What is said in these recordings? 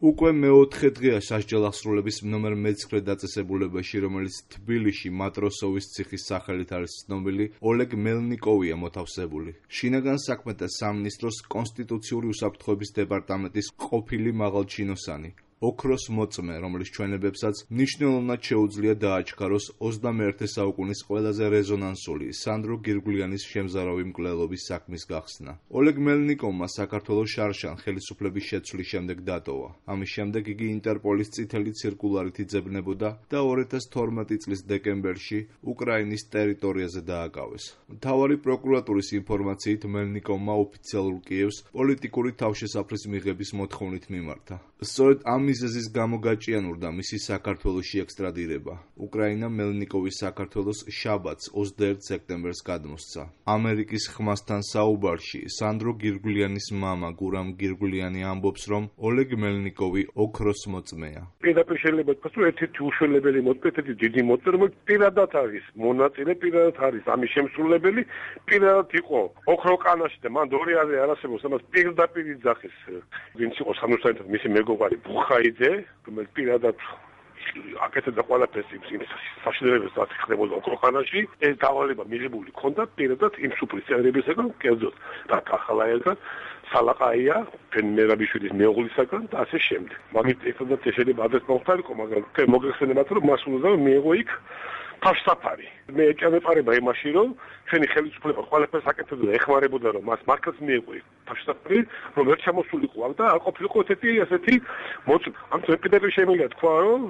უკვე მეოთხე დღეა სასჯელ აღსრულების ნომერ მე-9 დაწესებულებაში, რომელიც თბილისში მატროსოვის ციხის სახელით არის ცნობილი, ოლეგ მელნიკოვია მოთავსებული. შინაგან საქმეთა სამინისტროს კონსტიტუციური უსაფრთხოების დეპარტამენტის ყოფილი მაღალჩინოსანი. ოქროს მოწმე, რომლის ჩვენებებსაც მნიშვნელოვნად შეუძლია დააჩქაროს 21 საუკუნის ყველაზე რეზონანსული სანდრო გირგულიანის შემზარავი მკვლელობის საქმის გახსნა. ოლეგ მელნიკოვმა საქართველოს შარშან ხელისუფლების შეცვლის შემდეგ დატოვა. ამის შემდეგ იგი ინტერპოლის წითელი ციρკულარით იძებნებოდა და 2012 წლის დეკემბერში უკრაინის ტერიტორიაზე დააკავეს. მთავარი პროკურატურის ინფორმაციით მელნიკოვმა ოფიციალურ კიევს პოლიტიკური თავშესაფრის მიღების მოთხოვნით მიმართა. სწორედ ამ მიზეზის გამო გაჭიანურდა მისი საქართველოში ექსტრადირება. უკრაინა მელნიკოვის საქართველოს შაბათს 21 სექტემბერს გადმოსცა. ამერიკის ხმასთან საუბარში სანდრო გირგულიანის მამა გურამ გირგულიანი ამბობს, რომ ოლეგ მელნიკოვი ოქროს მოწმეა. პირდაპირ შეიძლება ითქვას, რომ ერთ-ერთი უშველებელი მოწმე, ერთ-ერთი დიდი მოწმე, რომელიც პირადად არის მონაწილე, პირადად არის ამის შემსრულებელი, პირადად იყო ოქროკანაში და მან დორიაზე არასებობს, ამას პირდაპირ იძახის, ვინც იყო სამუშაოდ მისი მეგობარი ბუხაიძე, რომელიც პირადად აკეთებდა ყველაფერს იმ საშინელებებს, რაც ხდებოდა ოქროხანაში, ეს დავალება მიღებული ჰქონდა პირადად იმ სუპრისწერებისაგან, კერძოდ და ახალაელთან, სალაყაია, მერაბიშვილის მეუღლისაგან და ასე შემდეგ. მაგით ერთადაც შეიძლება ადრეს მოხდარიყო, მაგრამ მოგეხსენებათ, რომ მას უნდა მიეღო იქ თავშესაფარი. მე ეჭვმეპარება იმაში, რომ ჩვენი ხელისუფლება ყველაფერს აკეთებდა და ეხმარებოდა, რომ მას მართლაც მიეღო იქ თავშესაფარი, რომ ვერ ჩამოსულიყო აქ და არ ყოფილიყო ესეთი მოწმე. ამიტომ პირდაპირ შემიძლია თქვა, რომ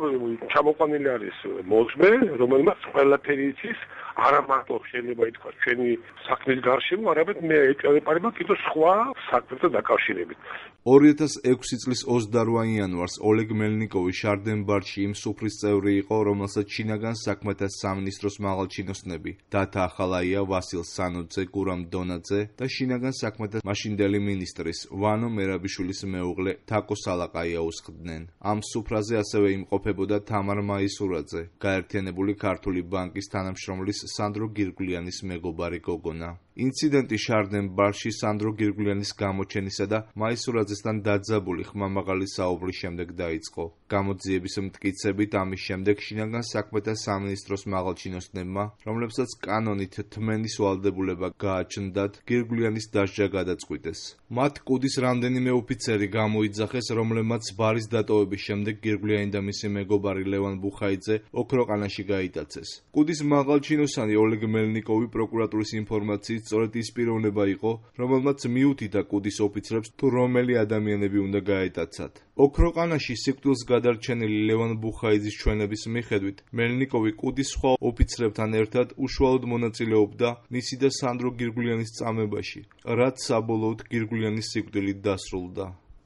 ჩამოყვანილი არის მოწმე, რომელმაც ყველაფერი იცის, არა მარტო შეიძლება ითქვას ჩვენი საქმის გარშემო, არამედ მე ეჭვმეპარება კიდევ სხვა საქმეთან დაკავშირებით. 2006 წლის 28 იანვარს ოლეგ მელნიკოვი შარდენბარში იმ სუფრის წევრი იყო, რომელსაც შინაგან საქმეთა სამინისტროს მაღალჩინოსნები დათა ახალაია, ვასილ სანოძე, გურამ დონაძე და შინაგან საქმეთა მაშინდელი მინისტრის ვანო მერაბიშვილის მეუღლე თაკო სალაყაია უსხდნენ. ამ სუფრაზე ასევე იმყოფებოდა თამარ მაისურაძე, გაერთიანებული ქართული ბანკის თანამშრომლის სანდრო გირგულიანის მეგობარი გოგონა. ინციდენტი შარდენბარში სანდრო გირგულიანის გამოჩენისა და მაისურაძესთან დაძაბული ხმამაღალი საუბრის შემდეგ დაიწყო. გამოძიების მტკიცებით ამის შემდეგ შინაგან საქმეთა სამინისტროს მაღალჩინოსნებმა, რომლებსაც კანონით თმენის ვალდებულება გააჩნდათ, გირგულიანის დასჯა გადაწყვიტეს. მათ კუდის რამდენიმე ოფიცერი გამოიძახეს, რომლებმაც ბარის დატოვების შემდეგ გირგულიანი და მისი მეგობარი ლევან ბუხაიძე ოქროყანაში გაიტაცეს. კუდის მაღალჩინოსანი ოლეგ მელნიკოვი პროკურატურის ინფორმაციით სწორედ ის პიროვნება იყო, რომელმაც მიუთითა კუდის ოფიცრებს თუ რომელი ადამიანები უნდა გაეტაცათ. ოქროყანაში სიკვდილს გადარჩენილი ლევან ბუხაიძის ჩვენების მიხედვით, მელნიკოვი კუდის სხვა ოფიცრებთან ერთად უშუალოდ მონაწილეობდა მისი და სანდრო გირგულიანის წამებაში, რაც საბოლოოდ გირგულიანის სიკვდილით დასრულდა.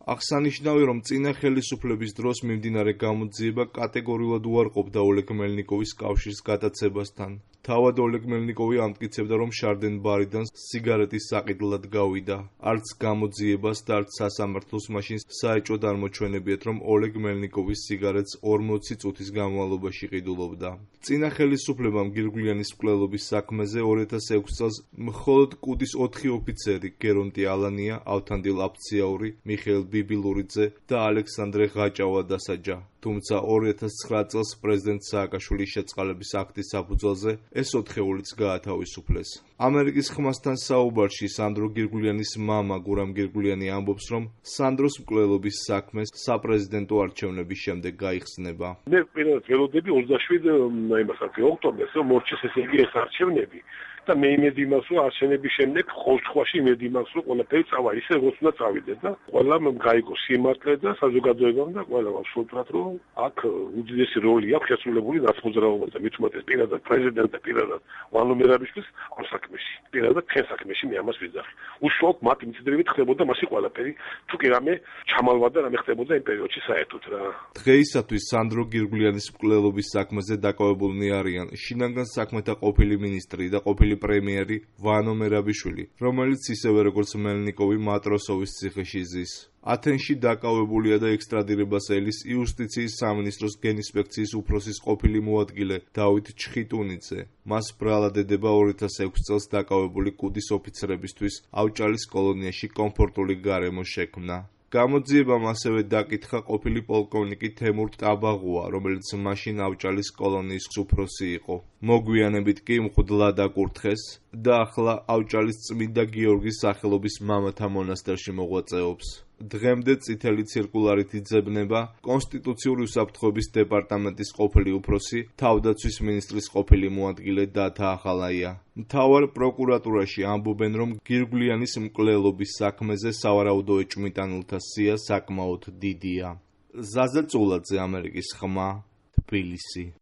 აღსანიშნავია, რომ წინა ხელისუფლების დროს მიმდინარე გამოძიება კატეგორიულად უარყოფდა ოლეგ მელნიკოვის კავშირს გატაცებასთან. თავად ოლეგ მელნიკოვი ამტკიცებდა, რომ შარდენბარიდან სიგარეტის საყიდლად გავიდა. არც გამოძიებას და არც სასამართლოს მაშინ საეჭვოდ არ მოჩვენებიათ, რომ ოლეგ მელნიკოვის სიგარეტს 40 წუთის განმავლობაში ყიდულობდა. წინა ხელისუფლებამ გირგულიანის მკვლელობის საქმეზე 2006 წელს მხოლოდ კუდის 4 ოფიცერი, გერონტი ალანია, ავთანდილ აფციაური, მიხეილ ბიბილურიძე და ალექსანდრე ღაჭავა დასაჯა. თუმცა 2009 წელს პრეზიდენტ სააკაშვილის შეწყალების აქტის საფუძველზე ეს 4-ულიც გაათავისუფლეს. ამერიკის ხმასთან საუბარში სანდრო გირგულიანის მამა გურამ გირგულიანი ამბობს, რომ სანდროს მკვლელობის საქმე საპრეზიდენტო არჩევნების შემდეგ გაიხსნება. მე პირადად ველოდები 27 ოქტომბერს მორჩეს ესე იგი ეს არჩევნები და მე იმედი მაქვს, რომ არჩევნების შემდეგ ყოველთხვაში იმედი მაქვს, რომ ყველაფერი წავა ისე, როგორც უნდა წავიდეს და ყველამ გაიგო სიმართლე და საზოგადოებამ და ყველა ვსულტრად, რომ აქ უდიდესი როლი აქვს შესრულებული ნაცმოძრაობაზე, მით უმეტეს პირადად პრეზიდენტ და პირადად ვანო მერაბიშვილის ამ საქმეში. პირადად ჩვენ საქმეში მე ამას ვიძახი. უშუალოდ მათ მიწდრებით ხდებოდა მასი ყველაფერი, თუ კი რამე ჩამალვა და რამე ხდებოდა იმ პერიოდში საერთოდ რა. დღეისათვის სანდრო გირგულიანის მკვლელობის საქმეზე დაკავებულნი არიან შინაგან საქმეთა ყოფილი მინისტრი და ყოფილი პრემიერი ვანო მერაბიშვილი, რომელიც ისევე როგორც მელნიკოვი მატროსოვის ციხეში ზის. ათენში დაკავებულია და ექსტრადირებას ელის იუსტიციის სამინისტროს გენინსპექციის უფროსის ყოფილი მოადგილე დავით ჩხიტუნიძე. მას ბრალად ედება 2006 წელს დაკავებული კუდის ოფიცრებისთვის ავჭალის კოლონიაში კომფორტული გარემო შექმნა. გამოძიებამ ასევე დაკითხა ყოფილი პოლკოვნიკი თემურ ტაბაღუა, რომელიც მაშინ ავჭალის კოლონიის უფროსი იყო. მოგვიანებით კი მღვდლად აკურთხეს და ახლა ავჭალის წმინდა გიორგის სახელობის მამათა მონასტერში მოღვაწეობს. დღემდე წითელი ციρკულარით იძებნება კონსტიტუციური უსაფრთხოების დეპარტამენტის ყოფილი უფროსი, თავდაცვის მინისტრის ყოფილი მოადგილე დათა ახალაია. მთავარ პროკურატურაში ამბობენ, რომ გირგვლიანის მკვლელობის საქმეზე სავარაუდო ეჭვმიტანილთა სია საკმაოდ დიდია. ზაზა წულაძე, ამერიკის ხმა, თბილისი.